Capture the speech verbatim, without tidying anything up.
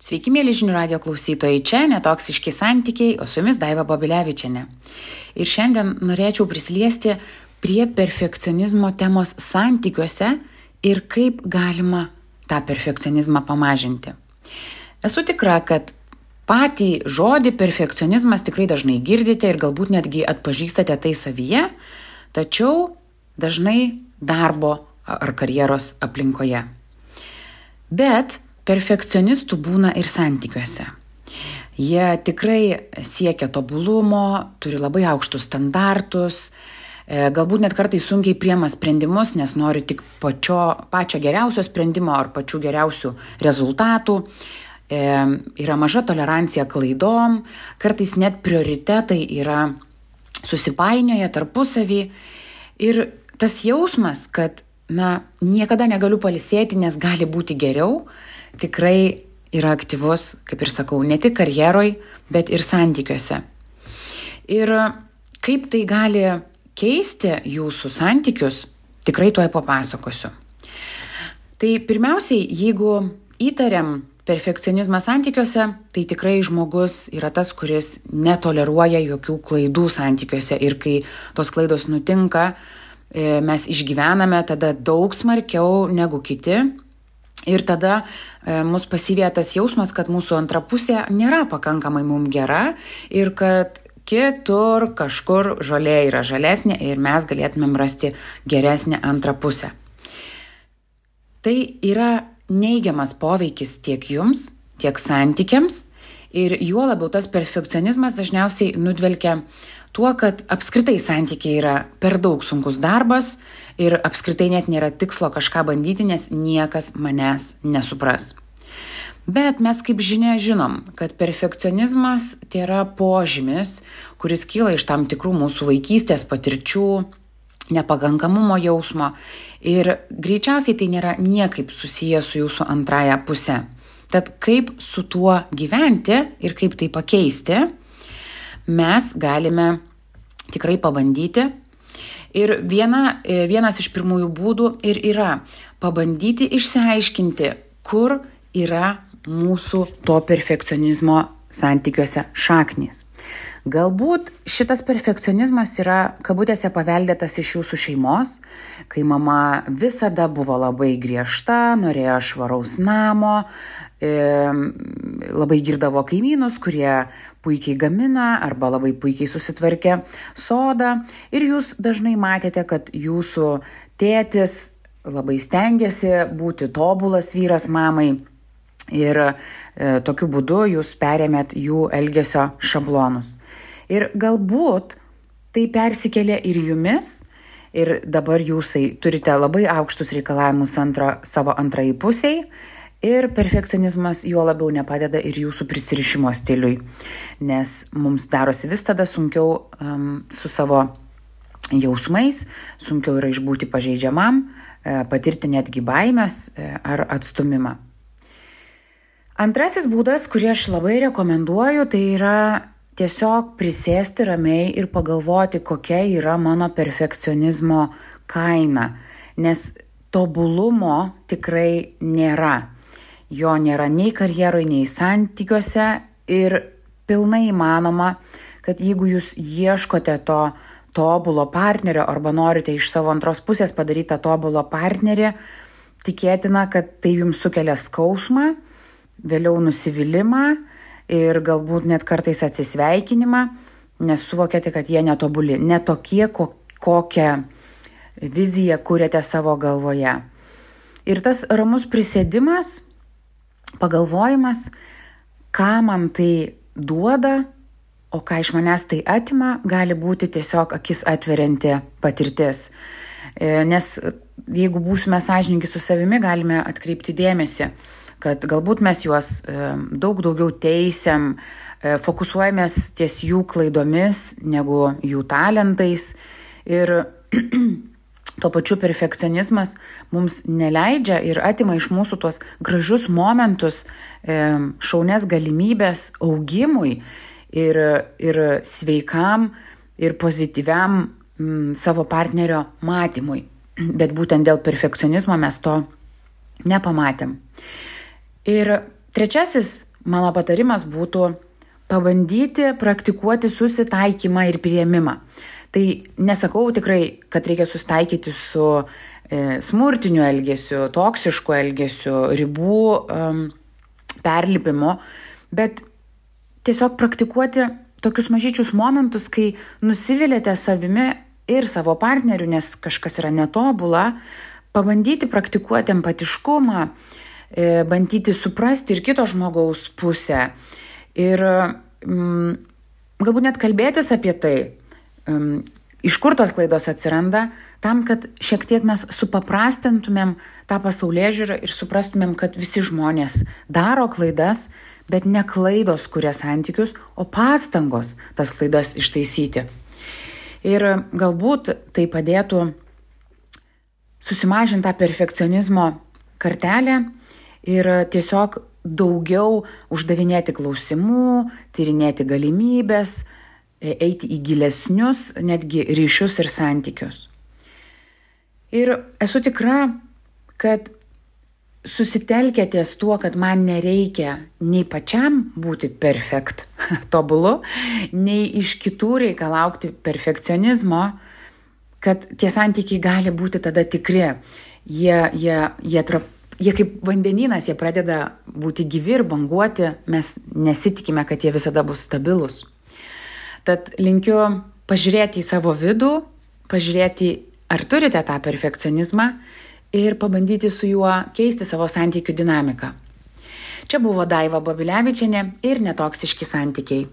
Sveiki, mėly žinių radijo klausytojai, čia Netoksiški santykiai, o su jumis Daiva Babilevičienė. Ir šiandien norėčiau prisiliesti prie perfekcionizmo temos santykiuose ir kaip galima tą perfekcionizmą pamažinti. Esu tikra, kad patį žodį perfekcionizmas tikrai dažnai girdite ir galbūt netgi atpažįstate tai savyje, tačiau dažnai darbo ar karjeros aplinkoje. Bet perfekcionistų būna ir santykiuose. Jie tikrai siekia tobulumo, turi labai aukštus standartus, galbūt net kartais sunkiai priema sprendimus, nes nori tik pačio, pačio geriausio sprendimo ar pačių geriausių rezultatų. E, yra maža tolerancija klaidom, kartais net prioritetai yra susipainioję tarpusavį. Ir tas jausmas, kad na, niekada negaliu pailsėti, nes gali būti geriau, tikrai yra aktyvus, kaip ir sakau, ne tik karjeroj, bet ir santykiuose. Ir kaip tai gali keisti jūsų santykius, tikrai tuoj papasakosiu. Tai pirmiausiai, jeigu įtariam perfekcionizmą santykiuose, tai tikrai žmogus yra tas, kuris netoleruoja jokių klaidų santykiuose. Ir kai tos klaidos nutinka, mes išgyvename tada daug smarkiau negu kiti. Ir tada e, mus pasivėja tas jausmas, kad mūsų antra pusė nėra pakankamai mums gera ir kad kitur kažkur žolė yra žalesnė ir mes galėtumėm rasti geresnę antrą pusę. Tai yra neigiamas poveikis tiek jums, tiek santykiams ir juo labiau tas perfekcionizmas dažniausiai nudvelkia tuo, kad apskritai santykiai yra per daug sunkus darbas ir apskritai net nėra tikslo kažką bandyti, nes niekas manęs nesupras. Bet mes kaip žinia žinom, kad perfekcionizmas tai yra požymis, kuris kyla iš tam tikrų mūsų vaikystės patirčių, nepakankamumo jausmo ir greičiausiai tai nėra niekaip susiję su jūsų antraja puse. Tad kaip su tuo gyventi ir kaip tai pakeisti, mes galime tikrai pabandyti. Ir viena, vienas iš pirmųjų būdų ir yra pabandyti išsiaiškinti, kur yra mūsų to perfekcionizmo santykiuose šaknys. Galbūt šitas perfekcionizmas yra kabutėse paveldėtas iš jūsų šeimos, kai mama visada buvo labai griežta, norėjo švaraus namo, e, labai girdavo kaimynus, kurie puikiai gamina arba labai puikiai susitvarkė sodą. Ir jūs dažnai matėte, kad jūsų tėtis labai stengiasi būti tobulas vyras mamai ir e, tokiu būdu jūs perėmėt jų elgesio šablonus. Ir galbūt tai persikėlė ir jumis ir dabar jūsai turite labai aukštus reikalavimus antra, savo antrai pusiai ir perfekcionizmas juo labiau nepadeda ir jūsų prisirišimo stiliui, nes mums darosi vis tada sunkiau um, su savo jausmais, sunkiau yra išbūti pažeidžiamam, e, patirti netgi baimės e, ar atstumimą. Antrasis būdas, kurį aš labai rekomenduoju, tai yra tiesiog prisėsti ramiai ir pagalvoti, kokia yra mano perfekcionizmo kaina, nes tobulumo tikrai nėra. Jo nėra nei karjeroje, nei santykiuose ir pilnai įmanoma, kad jeigu jūs ieškote to tobulo partnerio arba norite iš savo antros pusės padaryti tą tobulo partnerį, tikėtina, kad tai jums sukelia skausmą, vėliau nusivylimą ir galbūt net kartais atsisveikinimą, nes suvokėte, kad jie netobuli, netokie, kokią viziją kūrėte savo galvoje. Ir tas ramus prisėdimas, pagalvojimas, ką man tai duoda, o ką iš manęs tai atima, gali būti tiesiog akis atverianti patirtis. Nes jeigu būsime sąžiningi su savimi, galime atkreipti dėmesį, kad galbūt mes juos daug daugiau teisiam, fokusuojamės ties jų klaidomis negu jų talentais ir tuo pačiu perfekcionizmas mums neleidžia ir atima iš mūsų tuos gražius momentus, šaunias galimybės augimui ir, ir sveikam ir pozityviam m, savo partnerio matymui. Bet būtent dėl perfekcionizmo mes to nepamatėm. Ir Trečiasis mano patarimas būtų pabandyti praktikuoti susitaikymą ir priėmimą. Tai nesakau tikrai, kad reikia susitaikyti su e, smurtiniu elgesiu, toksišku elgesiu, ribų um, perlipimu, bet tiesiog praktikuoti tokius mažyčius momentus, kai nusiviliate savimi ir savo partneriu, nes kažkas yra netobula, pabandyti praktikuoti empatiškumą, e, bandyti suprasti ir kito žmogaus pusę. Ir mm, galbūt net kalbėtis apie tai, um, iš kur tos klaidos atsiranda, tam, kad šiek tiek mes supaprastintumėm tą pasaulėžiūrą ir suprastumėm, kad visi žmonės daro klaidas, bet ne klaidos kuria santykius, o pastangos tas klaidas ištaisyti. Ir galbūt tai padėtų susimažinti tą perfekcionizmo kartelę ir tiesiog daugiau uždavinėti klausimų, tyrinėti galimybės, eiti į gilesnius, netgi ryšius ir santykius. Ir esu tikra, kad susitelkę ties tuo, kad man nereikia nei pačiam būti perfekt, tobulu, nei iš kitų reikalauti perfekcionizmo, kad tie santykiai gali būti tada tikri. Jie, jie, jie trap Jie kaip vandenynas, jie pradeda būti gyvi ir banguoti, mes nesitikime, kad jie visada bus stabilus. Tad linkiu pažiūrėti į savo vidų, pažiūrėti, ar turite tą perfekcionizmą ir pabandyti su juo keisti savo santykių dinamiką. Čia buvo Daiva Babilevičienė ir Netoksiški santykiai.